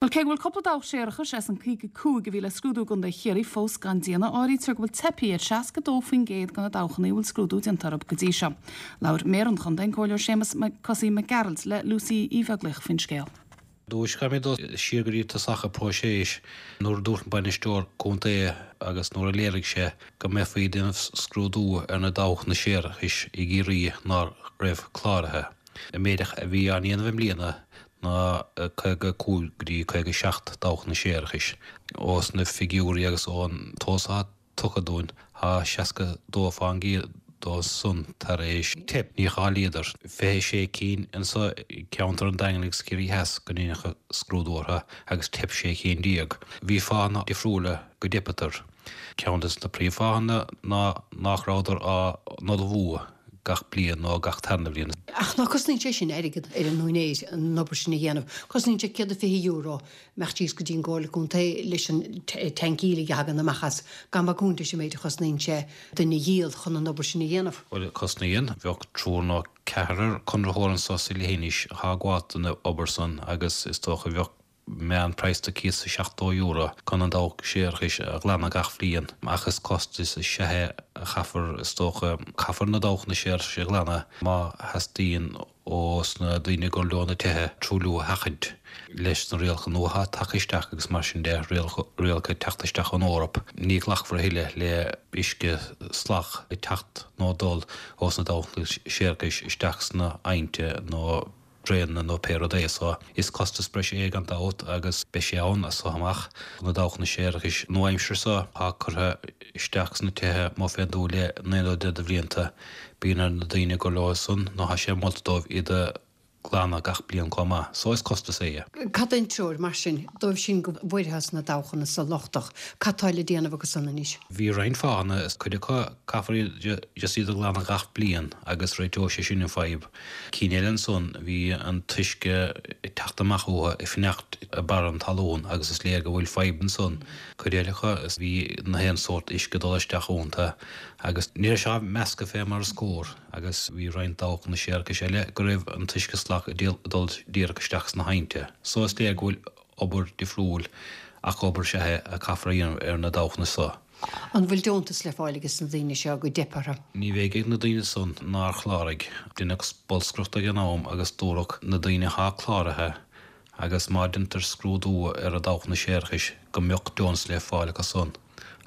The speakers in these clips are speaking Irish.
Bhuel, cé go bhfuil cúpla dabhach séarachais as an 55 a bhí le scrúdú i gContae Chiarraí fós gan déanamh, áirítear go bhfuil teipthe ar 62% de na dabhchanna a bhfuil scrúdú déanta orthu go dtí seo. Labhair Méara an Chontae, an Comhairleoir Séamus Cosaí Mac Gearailt, le Lucy Uí Bheaglaoich faoin scéal. Dúirt caithfimid dul siar go dtí tosach an próiseas nuair a dúirt an bainisteoir contae agus nuair a léirigh sé go mbeifí ag déanamh scrúdú ar na dabhchanna séarachais i gCiarraí ná raibh cláraithe. An méid a bhí á ndéanamh i mbliana ná 55 go dtí 57 dabhchanna séarachais. Ós na figiúirí agus ón t-eolas atá tugtha dúinn, tá 62 fán gcéad dóibh san tar éis teip, níor cháilíodar. 26 cinn anso i gceantar an Daingin agus Ciarraí Theas go ndeineadh scrúdú orthu agus theip 16 cinn. Bhí fáthanna difriúla go dteipeadar. Ceann des na príomhfháthanna ná nach rabhadar á n-ullmhú. gach bliain nó gach tarna bhliain. Ach ná cosnaíonn sé sin airgead ar an úinéir an obair sin a dhéanamh. Cosnaíonn sé €120 imeacht síos go dtí an gComhairle Contae leis an tanc aoiligh a thagann amach as, gan bagúint leis an méid a chosnaíonn sé duine a dhíol chun an obair sin a dhéanamh. Bhuel, cosnaíonn. Bheadh triúr nó ceathrar conraitheoir anso sa leithinis atá ag gabháil don obair san agus is dócha bheadh meán praghas de cíosa €70 chun an dabhach séarachais a ghlanadh gach bhliain, ach is costas is ea é a chaithfear, is dócha. Caithfear na dabhchanna séarachais a ghlanadh má theastaíonn ós na daoine gur leo na tithe truailliú a sheachaint. Leis na rialacha nua atá tagtha isteach agus mar sin de, rialacha ag teacht isteach ón Eoraip, ní ghlacfar a thuilleadh le uisce salach ag teacht nó ag dul ós na dabhchanna séarachais isteach sna haibhnte nó draenanna nó pé rud é so is costas breise é gan dabht agus beidh sé ann as so amach. Na dabhchanna séarachais nua-aimseartha so atá curtha isteach sna tithe amuigh fén dtuath le naoi nó deich de bhlianta, bíonn ar na daoine gur leo san nó tá sé molta dóibh iad a ghlanadh gach bliain chomh maith. So is costas é. Cad é an treoir mar sin dóibh sin go bhfuarthas na dabhchanna so lochtach? Cad tá le déanamh acu san anois? Bhí roinnt fáthanna, cuid acu caithfear iad just iad a ghlanadh gach bliain agus réiteoidh sé sin an fadhb. Cinn eile ansan, bhí an t-uisce ag teacht amach uathu ag fanacht ag barra an talún agus is léir go bhfuil fadhb ansan. Cuid eile acu, bhí na haon sórt uisce ag dul isteach iontu agus ní raibh sé á meascadh fé mar is cóir agus bhí roinnt dabhchanna séarachais eile go raibh an t-uisce salach ag dul díreach isteach sna haibhnte. So is léir go bhfuil obair difriúil ach obair is ea é a caithfear a dhéanamh ar na dabhchanna so. An bhfuil deontas le fáil ages na daoine seo go dteip orthu? Ní bheidh ag na daoine san nár chláraigh. Deineadh bolscaireacht ag an am agus dúradh na daoine athá cláraithe agus má deintear scrúdú ar a dabhchanna séarachais go mbeadh deontas le fáil acu san.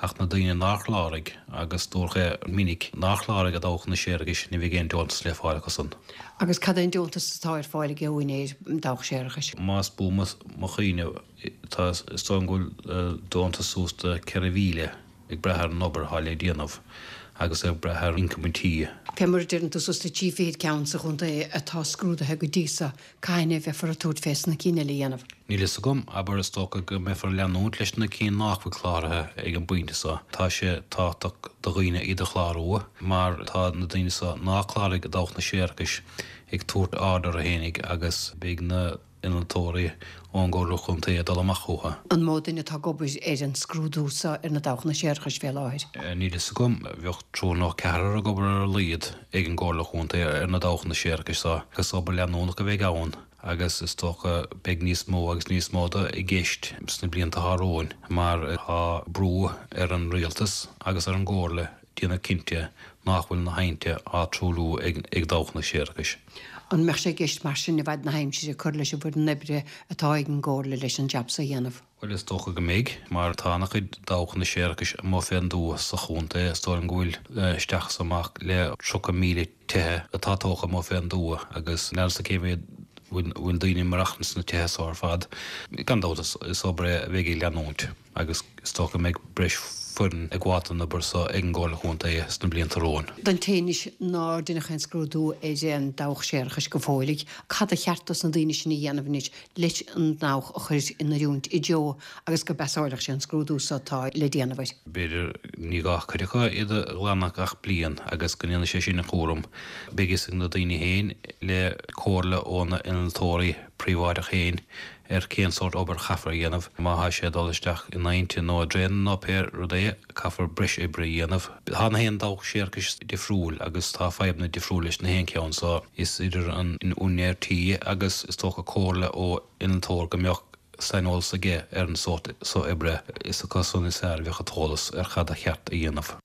Ach na daoine nár chláraigh, agus dúradh é minic, nár chláraigh a dabhchanna séarachais ní bheidh aon deontas le fáil acu san. Agus cad é an deontas atá ar fáil ag úinéir dabhach séarachais? Más buan mo chuimhne, Tá, is dóigh liom go bhfuil deontas suas do 4,000 ag brath ar an obair atá le déanamh agus ag brath ar ioncam an tí. Fé mar a deireann tú suas le 30 ceann sa chontae atá scrúdaithe go dtí so, cathain a bheifear ag tabhairt fés na cinn eile a dhéanamh? Níl fhios agam, abair, is dócha go mbeifear ag leanúint leis na cinn nách bhfuil cláraithe ag an bpointe so. Tá sé tábhachtach do dhaoine iad a chlárú mar tá na daoine so ná cláraigh a dabhchanna séarachais ag tabhairt aird orthu fhéinig agus beidh na innealtóirí ón gComhairle Chontae ag dul amach chucu. An mó duine atá ag obair ar an scrúdú so ar na dabhchanna séarachais fé láthair? Níl fhios agam. Bheadh triúr nó ceathrar ag obair ar a laghad ag an gComhairle Chontae ar na dabhchanna séarachais so agus obair leanúnach a bheidh ann agus is dócha beidh níos mó agus níos mó de i gceist sna blianta atá romhainn mar tá brú ar an Rialtas agus ar an gComhairle déanamh cinnte nach bhfuil na haibhnte á truailliú ag dabhchanna séarachais. An mbeadh sé i gceist mar sin i bhfad na haimsire cur leis an bhfoireann oibre atá ag an gComhairle leis an jab so a dhéanamh? Bhuel, is dócha go mbeidh, mar tá ana-chuid dabhchanna séarachais amuigh fén dtuath sa chontae. Is dóigh liom go bhfuil isteach is amach le 30,000 tithe atá tógtha amuigh fén dtuath agus níl 'fhios a'm cé mhéad bhfuil daoine ag maireachtaint sna tithe so ar fad. Gan dabht is obair é a bheidh ag leanúint. agus is dócha go mbeidh breis foireann ag gabháil don obair so ag an gComhairle Chontae sna blianta romhainn. Don té anois nár deineadh aon scrúdú ar an dabhach séarachais go fóilligh, cad a cheart dos na daoine sin a dhéanamh anois leis an ndabhach a chur in oiriúint i dtreo agus go bpasáilfeadh sé an scrúdú so atá le déanamh air? B'fhéidir ní gá cuid acu iad a ghlanadh gach bliain agus go ndéanfaidh sé sin an chúram. Beidh fhios ag na daoine féin le comhairle óna n-innealtóirí príobháideach féin ar cén sórt obair a chaithfear a dhéanamh. Má thá sé ag dul isteach in aibhnte nó i draenanna nó pé rud é, caithfear breis oibre a dhéanamh. Tá na haon dabhach séarachais difriúil agus tá fadhbanna difriúil leis na haon cheann so is idir an úinéir tí agus is dócha comhairle ó innealtóir go mbeadh. saineolas aige ar an sórt so oibre, is acu san is fearr a bheadh an t-eolas ar cad a cheart a dhéanamh.